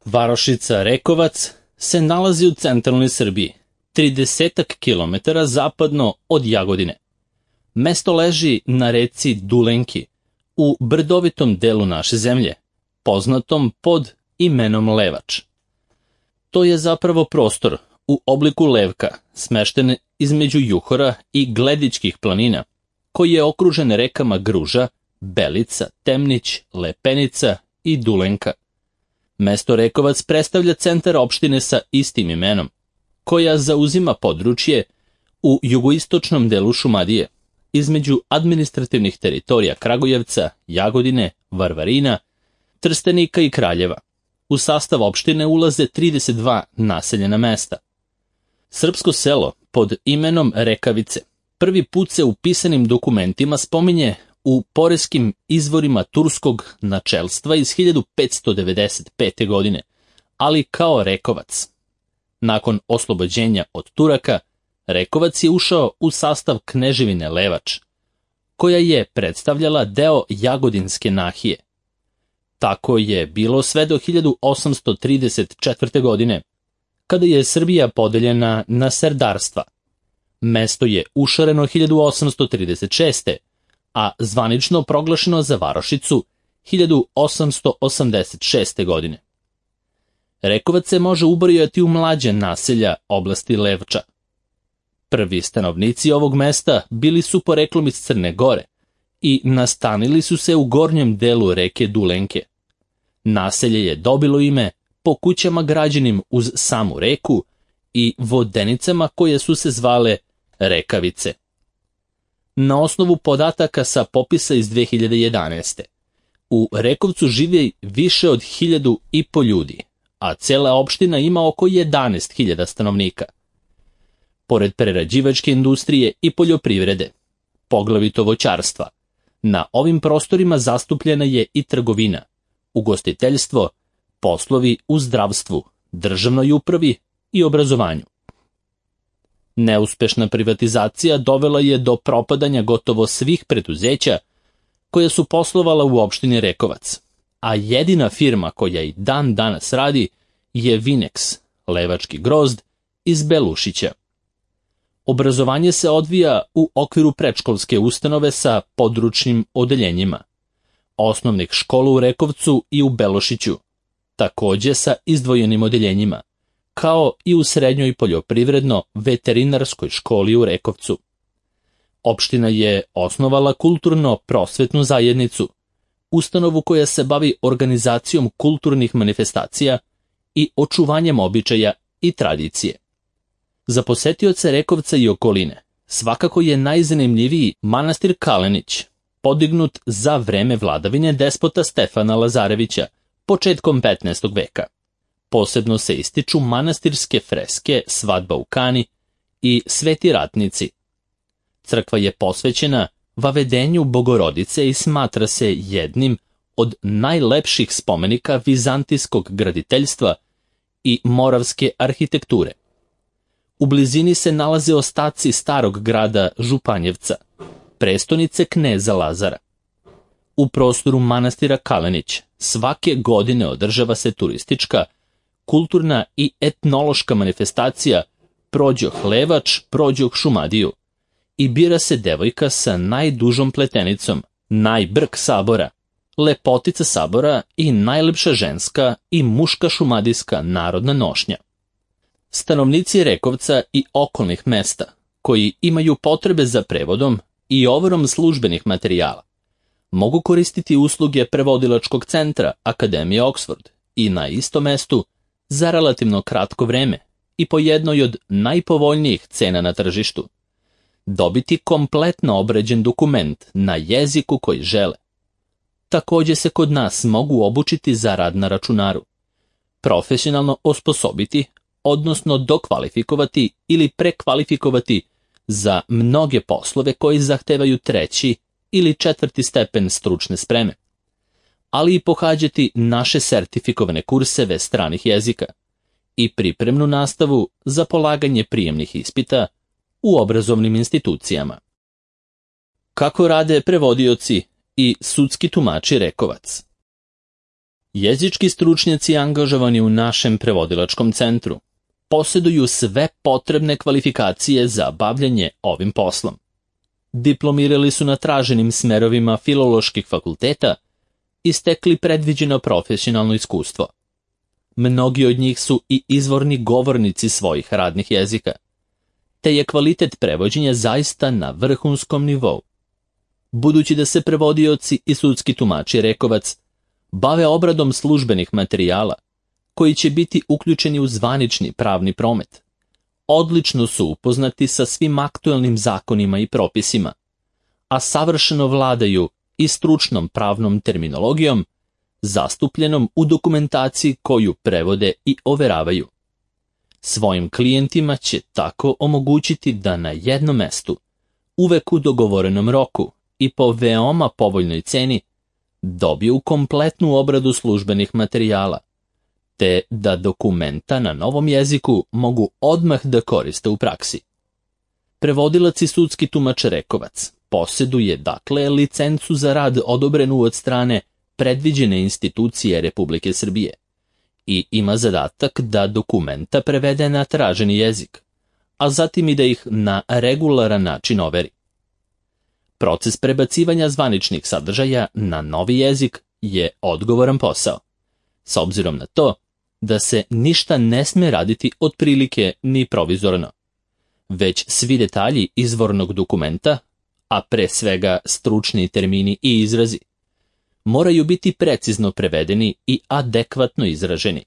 Varošica Rekovac se nalazi u centralnoj Srbiji, 30 km zapadno od Jagodine. Mesto leži na reci Dulenki, u brdovitom delu naše zemlje, poznatom pod imenom Levač. To je zapravo prostor u obliku levka, smešten između Juhora i Gledičkih planina, koji je okružen rekama Gruža, Belica, Temnić, Lepenica i Dulenka. Mesto Rekovac predstavlja centar opštine sa istim imenom, koja zauzima područje u jugoistočnom delu Šumadije, između administrativnih teritorija Kragujevca, Jagodine, Varvarina, Trstenika i Kraljeva. U sastav opštine ulaze 32 naseljena mesta. Srpsko selo pod imenom Rekavice prvi put se u pisanim dokumentima spominje u poreskim izvorima turskog načelstva iz 1595. godine, ali kao Rekovac. Nakon oslobođenja od Turaka, Rekovac je ušao u sastav kneževine Levač, koja je predstavljala deo Jagodinske nahije. Tako je bilo sve do 1834. godine, kada je Srbija podeljena na serdarstva. Mesto je ušareno 1836. a zvanično proglašeno za varošicu 1886. godine. Rekovac se može ubrojati u mlađe naselja oblasti Levča. Prvi stanovnici ovog mesta bili su poreklom iz Crne Gore i nastanili su se u gornjem delu reke Dulenke. Naselje je dobilo ime po kućama građenim uz samu reku i vodenicama koje su se zvale Rekavice. Na osnovu podataka sa popisa iz 2011. u Rekovcu živi više od 1.500 ljudi, a cela opština ima oko 11.000 stanovnika. Pored prerađivačke industrije i poljoprivrede, poglavito voćarstva, na ovim prostorima zastupljena je i trgovina, ugostiteljstvo, poslovi u zdravstvu, državnoj upravi i obrazovanju. Neuspešna privatizacija dovela je do propadanja gotovo svih preduzeća koja su poslovala u opštini Rekovac, a jedina firma koja i dan danas radi je Vinex, levački grozd iz Belušića. Obrazovanje se odvija u okviru predškolske ustanove sa područnim odeljenjima, osnovnih škola u Rekovcu i u Belošiću, takođe sa izdvojenim odeljenjima, kao i u srednjoj poljoprivredno-veterinarskoj školi u Rekovcu. Opština je osnovala kulturno-prosvetnu zajednicu, ustanovu koja se bavi organizacijom kulturnih manifestacija i očuvanjem običaja i tradicije. Za posetioce Rekovca i okoline svakako je najzanimljiviji manastir Kalenić, podignut za vreme vladavine despota Stefana Lazarevića, početkom 15. veka. Posebno se ističu manastirske freske Svadba u Kani i Sveti ratnici. Crkva je posvećena vavedenju Bogorodice i smatra se jednim od najlepših spomenika vizantijskog graditeljstva i moravske arhitekture. U blizini se nalaze ostaci starog grada Županjevca, prestonice kneza Lazara. U prostoru manastira Kalenić svake godine održava se turistička, kulturna i etnološka manifestacija Prođoh Levač, Prođoh Šumadiju i bira se devojka sa najdužom pletenicom, najbrk sabora, lepotica sabora i najlepša ženska i muška šumadijska narodna nošnja. Stanovnici Rekovca i okolnih mesta, koji imaju potrebe za prevodom i overom službenih materijala, mogu koristiti usluge prevodilačkog centra Akademije Oxford i na istom mestu za relativno kratko vreme i po jednoj od najpovoljnijih cena na tržištu dobiti kompletno obrađen dokument na jeziku koji žele. Takođe se kod nas mogu obučiti za rad na računaru, profesionalno osposobiti, odnosno dokvalifikovati ili prekvalifikovati za mnoge poslove koji zahtevaju 3. ili 4. stepen stručne spreme, ali i pohađati naše sertifikovane kurseve stranih jezika i pripremnu nastavu za polaganje prijemnih ispita u obrazovnim institucijama. Kako rade prevodioci i sudski tumači Rekovac? Jezički stručnjaci angažovani u našem prevodilačkom centru posjeduju sve potrebne kvalifikacije za bavljanje ovim poslom. Diplomirali su na traženim smerovima filoloških fakulteta i stekli predviđeno profesionalno iskustvo. Mnogi od njih su i izvorni govornici svojih radnih jezika, te je kvalitet prevođenja zaista na vrhunskom nivou. Budući da se prevodioci i sudski tumači Rekovac bave obradom službenih materijala, koji će biti uključeni u zvanični pravni promet, odlično su upoznati sa svim aktuelnim zakonima i propisima, a savršeno vladaju i stručnom pravnom terminologijom, zastupljenom u dokumentaciji koju prevode i overavaju. Svojim klijentima će tako omogućiti da na jednom mestu, uvek u dogovorenom roku i po veoma povoljnoj ceni, dobiju kompletnu obradu službenih materijala, te da dokumenta na novom jeziku mogu odmah da koriste u praksi. Prevodilac i sudski tumač Rekovac posjeduje dakle licencu za rad odobrenu od strane predviđene institucije Republike Srbije i ima zadatak da dokumenta prevede na traženi jezik, a zatim i da ih na regularan način overi. Proces prebacivanja zvaničnih sadržaja na novi jezik je odgovoran posao, s obzirom na to da se ništa ne sme raditi otprilike ni provizorno, već svi detalji izvornog dokumenta, a pre svega stručni termini i izrazi, moraju biti precizno prevedeni i adekvatno izraženi.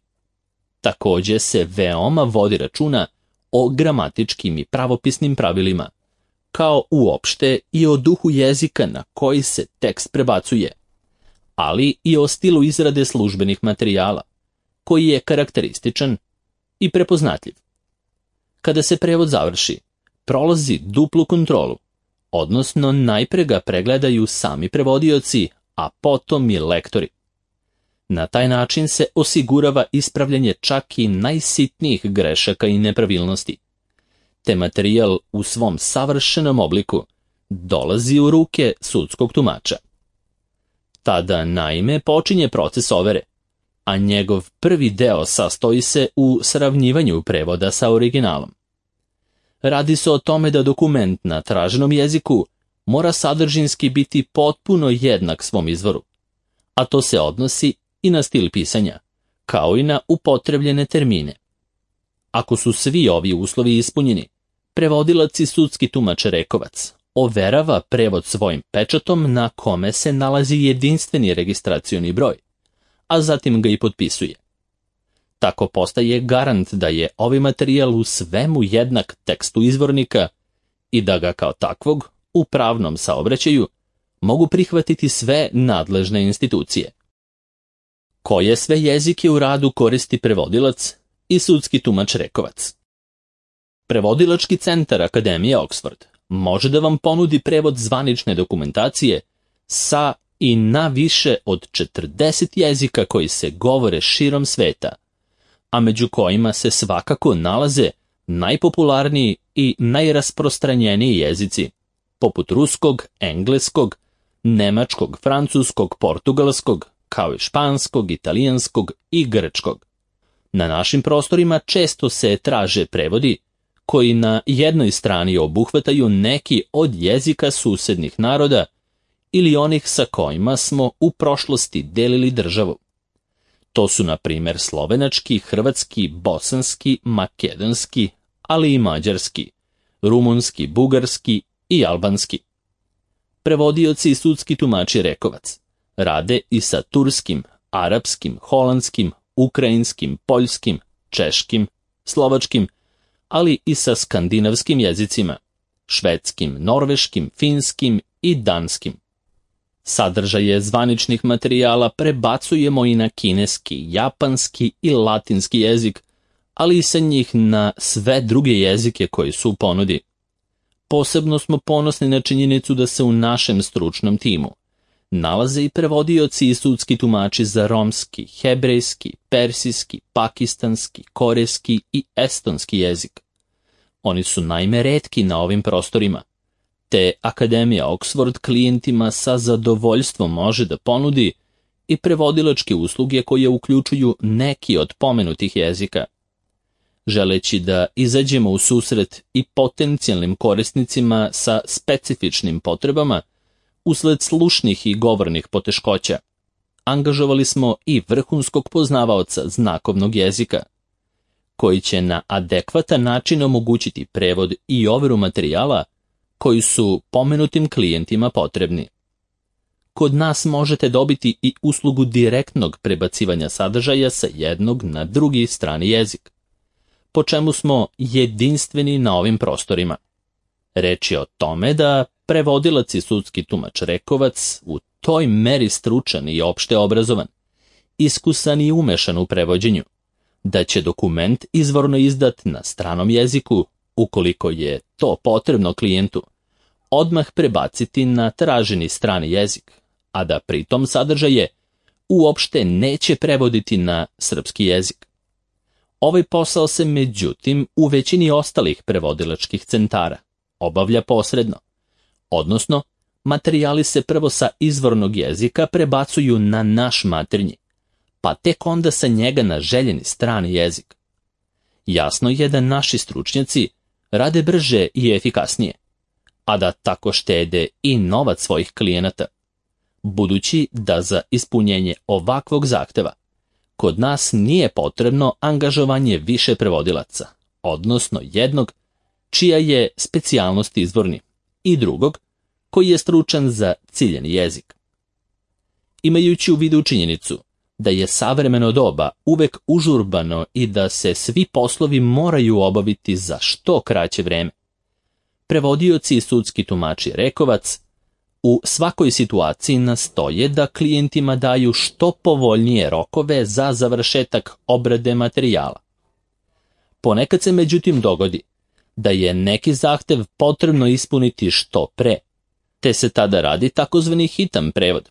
Također se veoma vodi računa o gramatičkim i pravopisnim pravilima, kao uopšte i o duhu jezika na koji se tekst prebacuje, ali i o stilu izrade službenih materijala, koji je karakterističan i prepoznatljiv. Kada se prevod završi, prolazi duplu kontrolu, odnosno najpre ga pregledaju sami prevodioci, a potom i lektori. Na taj način se osigurava ispravljanje čak i najsitnijih grešaka i nepravilnosti, te materijal u svom savršenom obliku dolazi u ruke sudskog tumača. Tada naime počinje proces overe, a njegov prvi deo sastoji se u sravnjivanju prevoda sa originalom. Radi se o tome da dokument na traženom jeziku mora sadržinski biti potpuno jednak svom izvoru, a to se odnosi i na stil pisanja, kao i na upotrebljene termine. Ako su svi ovi uslovi ispunjeni, prevodilac i sudski tumač Rekovac overava prevod svojim pečatom na kome se nalazi jedinstveni registracioni broj, a zatim ga i potpisuje. Tako postaje garant da je ovaj materijal u svemu jednak tekstu izvornika i da ga kao takvog u pravnom saobraćaju mogu prihvatiti sve nadležne institucije. Koje sve jezike u radu koristi prevodilac i sudski tumač Rekovac? Prevodilački centar Akademije Oxford može da vam ponudi prevod zvanične dokumentacije sa i na više od 40 jezika koji se govore širom sveta, a među kojima se svakako nalaze najpopularniji i najrasprostranjeniji jezici, poput ruskog, engleskog, nemačkog, francuskog, portugalskog, kao i španskog, italijanskog i grčkog. Na našim prostorima često se traže prevodi koji na jednoj strani obuhvataju neki od jezika susednih naroda ili onih sa kojima smo u prošlosti delili državu. To su na primjer slovenački, hrvatski, bosanski, makedonski, ali i mađarski, rumunski, bugarski i albanski. Prevodioci i sudski tumači Rekovac rade i sa turskim, arapskim, holandskim, ukrajinskim, poljskim, češkim, slovačkim, ali i sa skandinavskim jezicima, švedskim, norveškim, finskim i danskim. Sadržaje zvaničnih materijala prebacujemo i na kineski, japanski i latinski jezik, ali i sa njih na sve druge jezike koji su u ponudi. Posebno smo ponosni na činjenicu da se u našem stručnom timu nalaze i prevodioci i sudski tumači za romski, hebrejski, persijski, pakistanski, korejski i estonski jezik. Oni su naime retki na ovim prostorima, te Akademija Oxford klijentima sa zadovoljstvom može da ponudi i prevodilačke usluge koje uključuju neki od pomenutih jezika. Želeći da izađemo u susret i potencijalnim korisnicima sa specifičnim potrebama, usled slušnih i govornih poteškoća, angažovali smo i vrhunskog poznavaoca znakovnog jezika, koji će na adekvatan način omogućiti prevod i overu materijala koji su pomenutim klijentima potrebni. Kod nas možete dobiti i uslugu direktnog prebacivanja sadržaja sa jednog na drugi strani jezik, po čemu smo jedinstveni na ovim prostorima. Reč je o tome da prevodilac i sudski tumač rekovac u toj meri stručan i opšte obrazovan, iskusan i umešan u prevođenju, da će dokument izvorno izdat na stranom jeziku, ukoliko je to potrebno klijentu, odmah prebaciti na traženi strani jezik, a da pritom sadržaje uopšte neće prevoditi na srpski jezik. Ovaj posao se međutim u većini ostalih prevodilačkih centara obavlja posredno, odnosno materijali se prvo sa izvornog jezika prebacuju na naš maternji, pa tek onda sa njega na željeni strani jezik. Jasno je da naši stručnjaci rade brže i efikasnije, a da tako štede i novac svojih klijenata, budući da za ispunjenje ovakvog zahteva kod nas nije potrebno angažovanje više prevodilaca, odnosno jednog čija je specijalnost izvorni i drugog koji je stručan za ciljani jezik. Imajući u vidu činjenicu da je savremeno doba uvek užurbano i da se svi poslovi moraju obaviti za što kraće vreme, prevodioci i sudski tumači rekovac u svakoj situaciji nastoje da klijentima daju što povoljnije rokove za završetak obrade materijala. Ponekad se međutim dogodi da je neki zahtev potrebno ispuniti što pre, te se tada radi takozvani hitan prevod,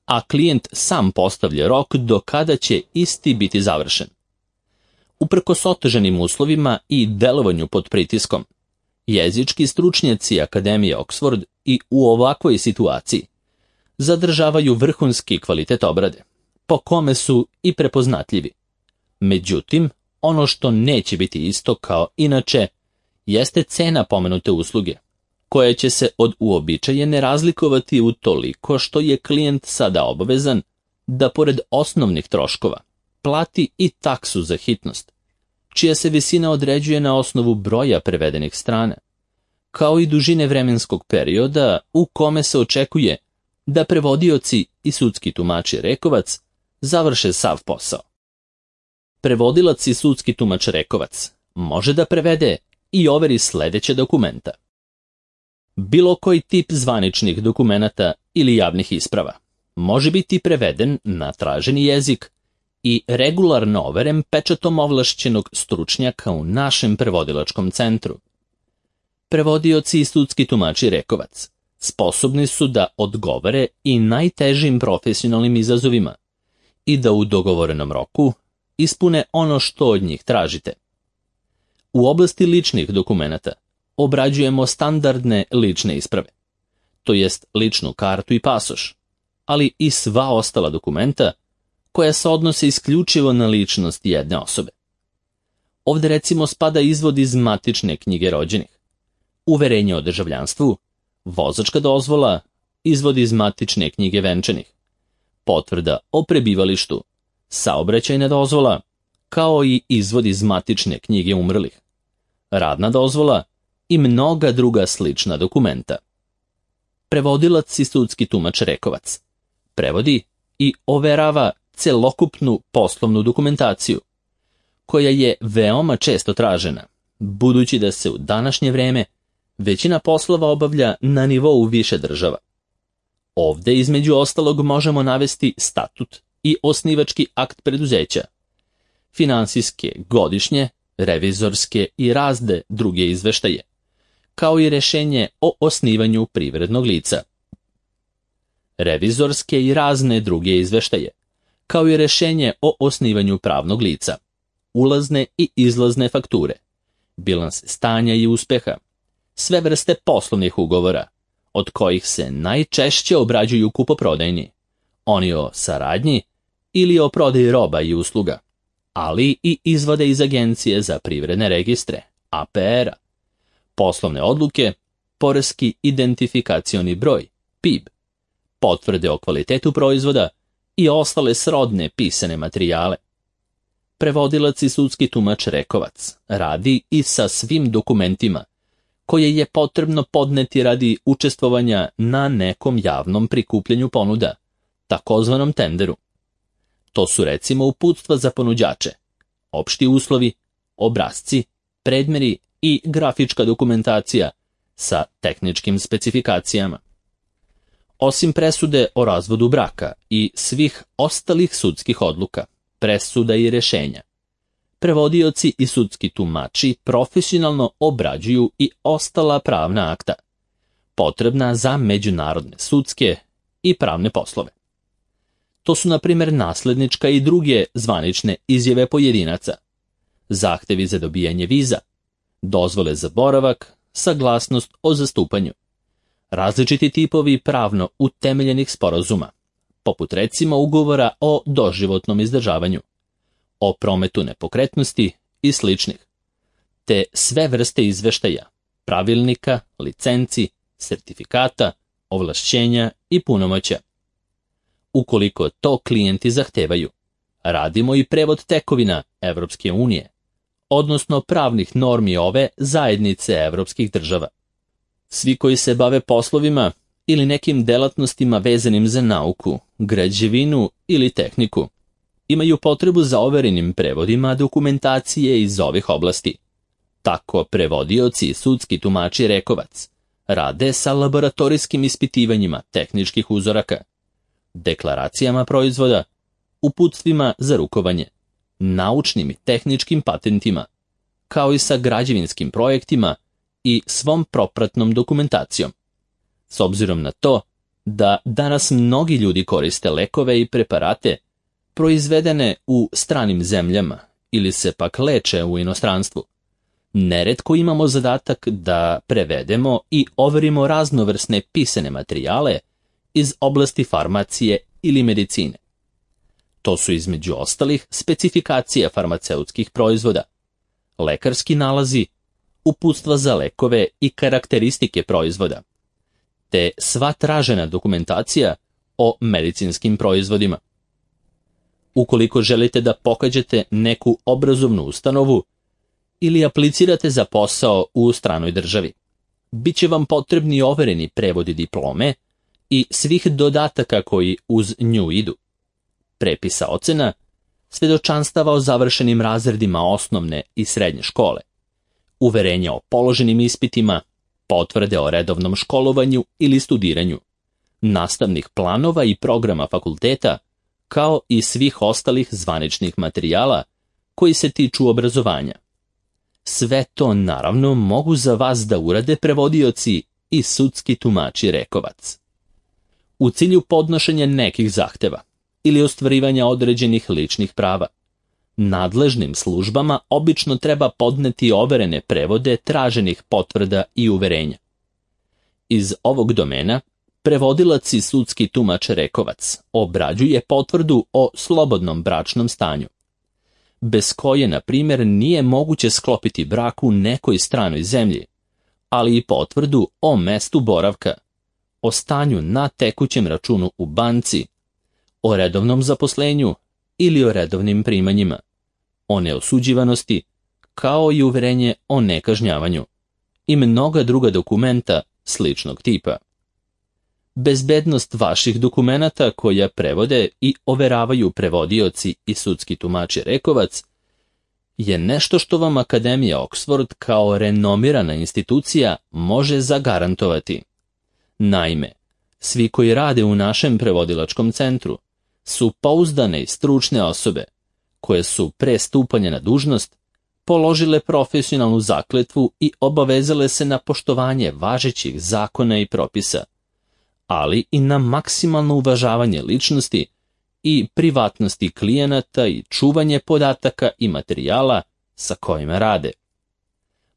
a klijent sam postavlja rok do kada će isti biti završen. Uprkos otežanim uslovima i delovanju pod pritiskom, jezički stručnjaci Akademije Oxford i u ovakvoj situaciji zadržavaju vrhunski kvalitet obrade, po kome su i prepoznatljivi. Međutim, ono što neće biti isto kao inače jeste cena pomenute usluge, koja će se od uobičajene razlikovati utoliko što je klijent sada obavezan da pored osnovnih troškova plati i taksu za hitnost, čija se visina određuje na osnovu broja prevedenih strana, kao i dužine vremenskog perioda u kome se očekuje da prevodioci i sudski tumači rekovac završe sav posao. Prevodilac i sudski tumač rekovac može da prevede i overi sledeće dokumenta: bilo koji tip zvaničnih dokumenata ili javnih isprava može biti preveden na traženi jezik i regularno overen pečatom ovlašćenog stručnjaka u našem prevodilačkom centru. Prevodioci i sudski tumači rekovac sposobni su da odgovore i najtežim profesionalnim izazovima i da u dogovorenom roku ispune ono što od njih tražite. U oblasti ličnih dokumenata obrađujemo standardne lične isprave, to jest ličnu kartu i pasoš, ali i sva ostala dokumenta koja se odnose isključivo na ličnost jedne osobe. Ovdje recimo spada izvod iz matične knjige rođenih, uverenje o državljanstvu, vozačka dozvola, izvod iz matične knjige venčanih, potvrda o prebivalištu, saobraćajna dozvola, kao i izvod iz matične knjige umrlih, radna dozvola i mnoga druga slična dokumenta. Prevodilac i sudski tumač rekovac prevodi i overava celokupnu poslovnu dokumentaciju, koja je veoma često tražena, budući da se u današnje vreme većina poslova obavlja na nivou više država. Ovdje između ostalog možemo navesti statut i osnivački akt preduzeća, finansijske, godišnje, revizorske i razne druge izveštaje, kao i rješenje o osnivanju privrednog lica. Revizorske i razne druge izveštaje, kao i rješenje o osnivanju pravnog lica, ulazne i izlazne fakture, bilans stanja i uspeha, sve vrste poslovnih ugovora, od kojih se najčešće obrađuju kupoprodajni, oni o saradnji ili o prodaji roba i usluga, ali i izvode iz Agencije za privredne registre, APR-a, poslovne odluke, poreski identifikacioni broj, PIB, potvrde o kvalitetu proizvoda i ostale srodne pisane materijale. Prevodilac i sudski tumač rekovac radi i sa svim dokumentima koje je potrebno podneti radi učestvovanja na nekom javnom prikupljanju ponuda, takozvanom tenderu. To su recimo uputstva za ponuđače, opšti uslovi, obrasci, predmeri i grafička dokumentacija sa tehničkim specifikacijama. Osim presude o razvodu braka i svih ostalih sudskih odluka, presuda i rešenja, prevodioci i sudski tumači profesionalno obrađuju i ostala pravna akta, potrebna za međunarodne sudske i pravne poslove. To su, na primjer, naslednička i druge zvanične izjave pojedinaca, zahtevi za dobijanje viza, dozvole za boravak, saglasnost o zastupanju, različiti tipovi pravno utemeljenih sporazuma, poput recimo ugovora o doživotnom izdržavanju, o prometu nepokretnosti i sličnih, te sve vrste izveštaja, pravilnika, licenci, sertifikata, ovlašćenja i punomoćja. Ukoliko to klijenti zahtevaju, radimo i prevod tekovina Evropske unije, odnosno pravnih normi ove zajednice evropskih država. Svi koji se bave poslovima ili nekim delatnostima vezanim za nauku, građevinu ili tehniku, imaju potrebu za overenim prevodima dokumentacije iz ovih oblasti. Tako prevodioci i sudski tumači rekovac rade sa laboratorijskim ispitivanjima tehničkih uzoraka, deklaracijama proizvoda, uputstvima za rukovanje, naučnim i tehničkim patentima, kao i sa građevinskim projektima i svom propratnom dokumentacijom. S obzirom na to da danas mnogi ljudi koriste lekove i preparate proizvedene u stranim zemljama ili se pak leče u inostranstvu, neretko imamo zadatak da prevedemo i overimo raznovrsne pisane materijale iz oblasti farmacije ili medicine. To su između ostalih specifikacija farmaceutskih proizvoda, lekarski nalazi, uputstva za lekove i karakteristike proizvoda, te sva tražena dokumentacija o medicinskim proizvodima. Ukoliko želite da pohađate neku obrazovnu ustanovu ili aplicirate za posao u stranoj državi, bit će vam potrebni overeni prevodi diplome i svih dodataka koji uz nju idu, prepisa ocena, svedočanstava o završenim razredima osnovne i srednje škole, uverenja o položenim ispitima, potvrde o redovnom školovanju ili studiranju, nastavnih planova i programa fakulteta, kao i svih ostalih zvaničnih materijala koji se tiču obrazovanja. Sve to naravno mogu za vas da urade prevodioci i sudski tumači rekovac. U cilju podnošenja nekih zahteva ili ostvarivanja određenih ličnih prava, nadležnim službama obično treba podneti overene prevode traženih potvrda i uverenja. Iz ovog domena prevodilac i sudski tumač rekovac obrađuje potvrdu o slobodnom bračnom stanju, bez koje, na primjer, nije moguće sklopiti brak u nekoj stranoj zemlji, ali i potvrdu o mestu boravka, o stanju na tekućem računu u banci, o redovnom zaposlenju ili o redovnim primanjima, o neosuđivanosti, kao i uverenje o nekažnjavanju i mnoga druga dokumenta sličnog tipa. Bezbednost vaših dokumenata koja prevode i overavaju prevodioci i sudski tumači rekovac je nešto što vam Akademija Oxford kao renomirana institucija može zagarantovati. Naime, svi koji rade u našem prevodilačkom centru su pouzdane i stručne osobe koje su pre stupanja na dužnost položile profesionalnu zakletvu i obavezale se na poštovanje važećih zakona i propisa, ali i na maksimalno uvažavanje ličnosti i privatnosti klijenata i čuvanje podataka i materijala sa kojima rade.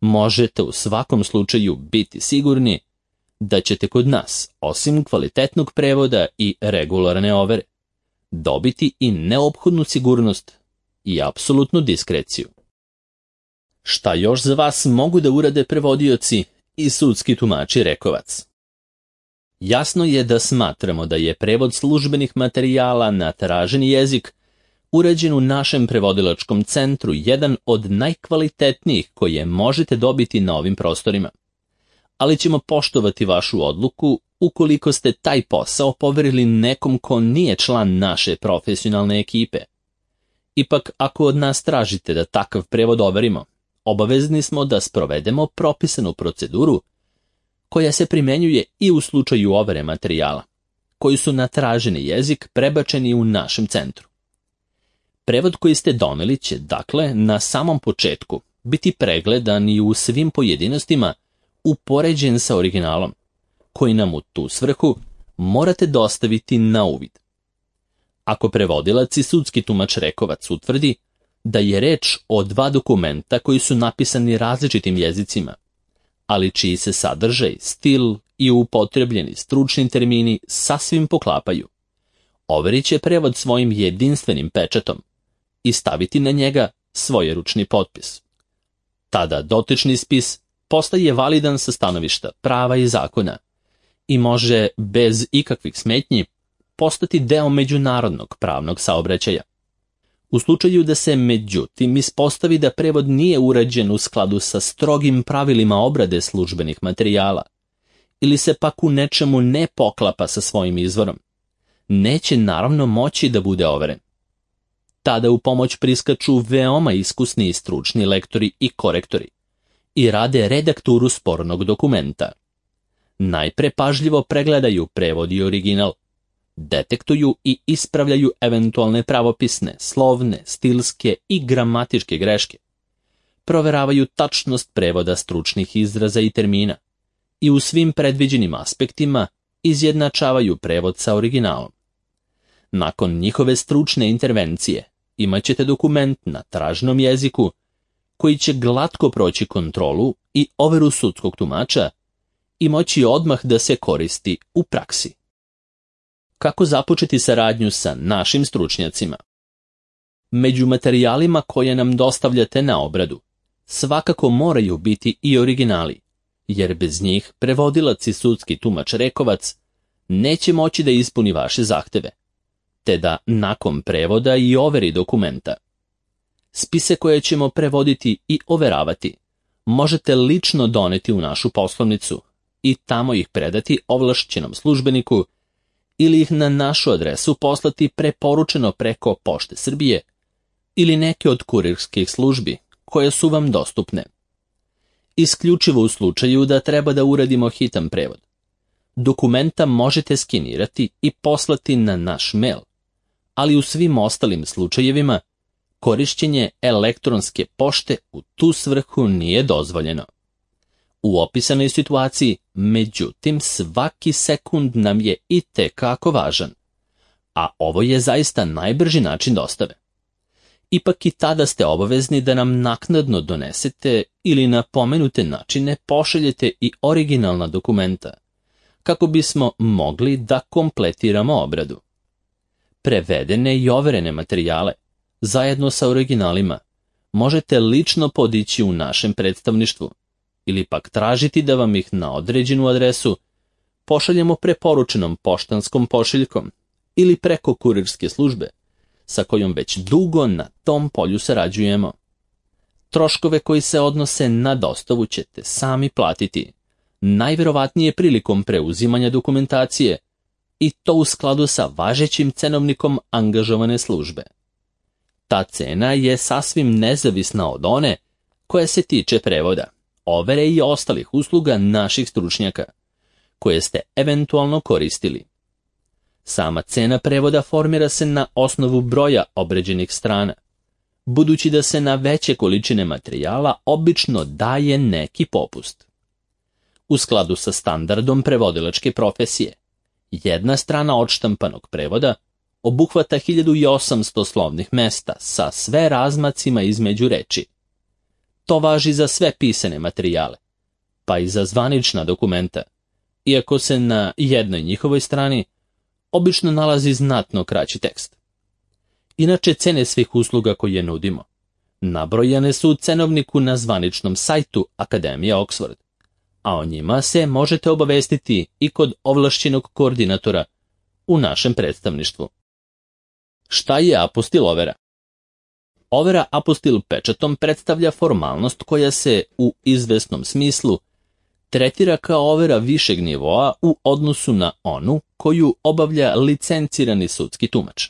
Možete u svakom slučaju biti sigurni da ćete kod nas, osim kvalitetnog prevoda i regularne overe, dobiti i neophodnu sigurnost i apsolutnu diskreciju. Šta još za vas mogu da urade prevodioci i sudski tumači Rekovac? Jasno je da smatramo da je prevod službenih materijala na traženi jezik urađen u našem prevodilačkom centru jedan od najkvalitetnijih koje možete dobiti na ovim prostorima. Ali ćemo poštovati vašu odluku ukoliko ste taj posao poverili nekom ko nije član naše profesionalne ekipe. Ipak, ako od nas tražite da takav prevod overimo, obavezni smo da sprovedemo propisanu proceduru koja se primenjuje i u slučaju overe materijala, koji su na traženi jezik prebačeni u našem centru. Prevod koji ste doneli će, dakle, na samom početku biti pregledan i u svim pojedinostima upoređen sa originalom, koji nam u tu svrhu morate dostaviti na uvid. Ako prevodilac i sudski tumač Rekovac utvrdi da je reč o dva dokumenta koji su napisani različitim jezicima, ali čiji se sadržaj, stil i upotrebljeni stručni termini sasvim poklapaju, overit će prevod svojim jedinstvenim pečatom i staviti na njega svoj ručni potpis. Tada dotični spis postaje validan sa stanovišta prava i zakona i može bez ikakvih smetnji postati deo međunarodnog pravnog saobraćaja. U slučaju da se međutim ispostavi da prevod nije urađen u skladu sa strogim pravilima obrade službenih materijala ili se pak u nečemu ne poklapa sa svojim izvorom, neće naravno moći da bude overen. Tada u pomoć priskaču veoma iskusni i stručni lektori i korektori i rade redakturu spornog dokumenta. Najpre pažljivo pregledaju prevod i original, detektuju i ispravljaju eventualne pravopisne, slovne, stilske i gramatičke greške, proveravaju tačnost prevoda stručnih izraza i termina i u svim predviđenim aspektima izjednačavaju prevod sa originalom. Nakon njihove stručne intervencije imat ćete dokument na traženom jeziku koji će glatko proći kontrolu i overu sudskog tumača i moći odmah da se koristi u praksi. Kako započeti saradnju sa našim stručnjacima? Među materijalima koje nam dostavljate na obradu svakako moraju biti i originali, jer bez njih prevodilac i sudski tumač Rekovac neće moći da ispuni vaše zahteve, te da nakon prevoda i overi dokumenta spise koje ćemo prevoditi i overavati možete lično doneti u našu poslovnicu i tamo ih predati ovlašćenom službeniku ili ih na našu adresu poslati preporučeno preko Pošte Srbije ili neke od kurirskih službi koje su vam dostupne. Isključivo u slučaju da treba da uradimo hitan prevod. Dokumenta možete skenirati i poslati na naš mail, ali u svim ostalim slučajevima korišćenje elektronske pošte u tu svrhu nije dozvoljeno. U opisanoj situaciji, međutim, svaki sekund nam je itekako važan, a ovo je zaista najbrži način dostave. Ipak i tada ste obavezni da nam naknadno donesete ili na pomenute načine pošaljete i originalna dokumenta, kako bismo mogli da kompletiramo obradu. Prevedene i overene materijale, zajedno sa originalima, možete lično podići u našem predstavništvu ili pak tražiti da vam ih na određenu adresu pošaljemo preporučenom poštanskom pošiljkom ili preko kurirske službe, sa kojom već dugo na tom polju sarađujemo. Troškove koji se odnose na dostavu ćete sami platiti, najverovatnije prilikom preuzimanja dokumentacije, i to u skladu sa važećim cenovnikom angažovane službe. Ta cena je sasvim nezavisna od one koja se tiče prevoda, overe i ostalih usluga naših stručnjaka, koje ste eventualno koristili. Sama cena prevoda formira se na osnovu broja obrađenih strana, budući da se na veće količine materijala obično daje neki popust. U skladu sa standardom prevodilačke profesije, jedna strana odštampanog prevoda obuhvata 1800 slovnih mesta sa sve razmacima između reči. To važi za sve pisane materijale, pa i za zvanična dokumenta, iako se na jednoj njihovoj strani obično nalazi znatno kraći tekst. inače cene svih usluga koje nudimo. Nabrojane su u cenovniku na zvaničnom sajtu Akademije Oxford, a o njima se možete obavestiti i kod ovlašćenog koordinatora u našem predstavništvu. Šta je apostil overa? Overa apostil pečatom predstavlja formalnost koja se u izvesnom smislu tretira kao overa višeg nivoa u odnosu na onu koju obavlja licencirani sudski tumač.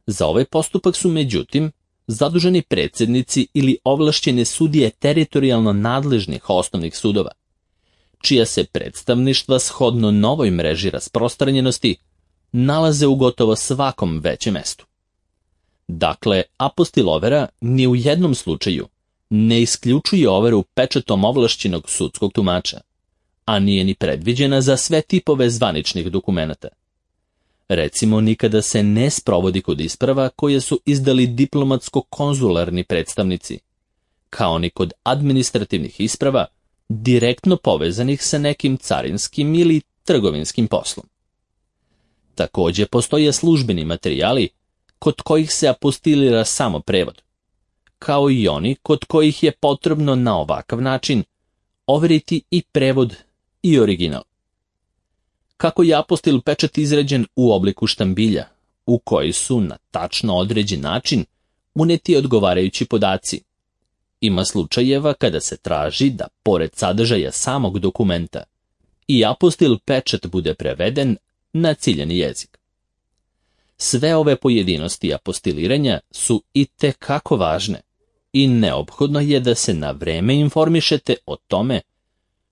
Za ovaj postupak su međutim zaduženi predsjednici ili ovlašćene sudije teritorijalno nadležnih osnovnih sudova, čija se predstavništva shodno novoj mreži rasprostranjenosti nalaze u gotovo svakom većem mestu. Dakle, apostil overa ni u jednom slučaju ne isključuje overu pečatom ovlašćenog sudskog tumača, a nije ni predviđena za sve tipove zvaničnih dokumenata. Recimo, nikada se ne sprovodi kod isprava koje su izdali diplomatsko-konzularni predstavnici, kao ni kod administrativnih isprava direktno povezanih sa nekim carinskim ili trgovinskim poslom. Također postoje službeni materijali kod kojih se apostilira samo prevod, kao i oni kod kojih je potrebno na ovakav način overiti i prevod i original. Kako je apostil pečat izrađen u obliku štambilja, u koji su na tačno određen način uneti odgovarajući podaci. Ima slučajeva kada se traži da, pored sadržaja samog dokumenta, i apostil pečat bude preveden na ciljani jezik. Sve ove pojedinosti apostiliranja su itekako važne i neophodno je da se na vreme informišete o tome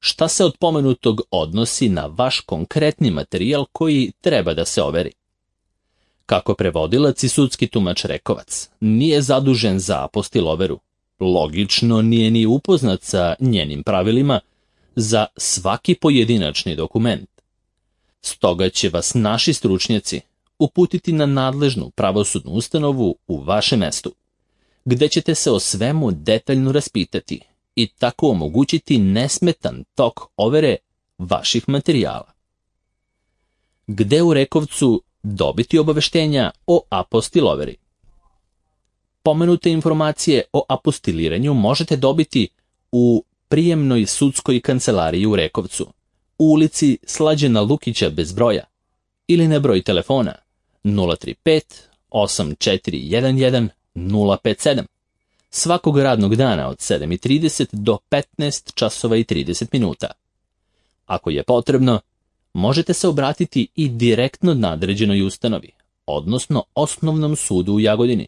šta se od pomenutog odnosi na vaš konkretni materijal koji treba da se overi. Kako prevodilac i sudski tumač Rekovac nije zadužen za apostil overu, logično nije ni upoznat sa njenim pravilima za svaki pojedinačni dokument. Stoga će vas naši stručnjaci uputiti na nadležnu pravosudnu ustanovu u vašem mestu, gde ćete se o svemu detaljno raspitati i tako omogućiti nesmetan tok overe vaših materijala. Gde u Rekovcu dobiti obaveštenja o apostil overi? Pomenute informacije o apostiliranju možete dobiti u prijemnoj sudskoj kancelariji u Rekovcu, u ulici Slađana Lukića bez broja, ili na broj telefona 035 8411 057, svakog radnog dana od 7:30 do 15 časova i 30 minuta. Ako je potrebno, možete se obratiti i direktno nadređenoj ustanovi, odnosno Osnovnom sudu u Jagodini,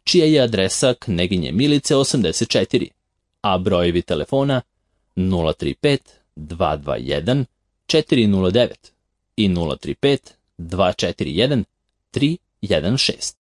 čija je adresa Kneginje Milice 84, a brojevi telefona 035 221 409 i 035 241 316.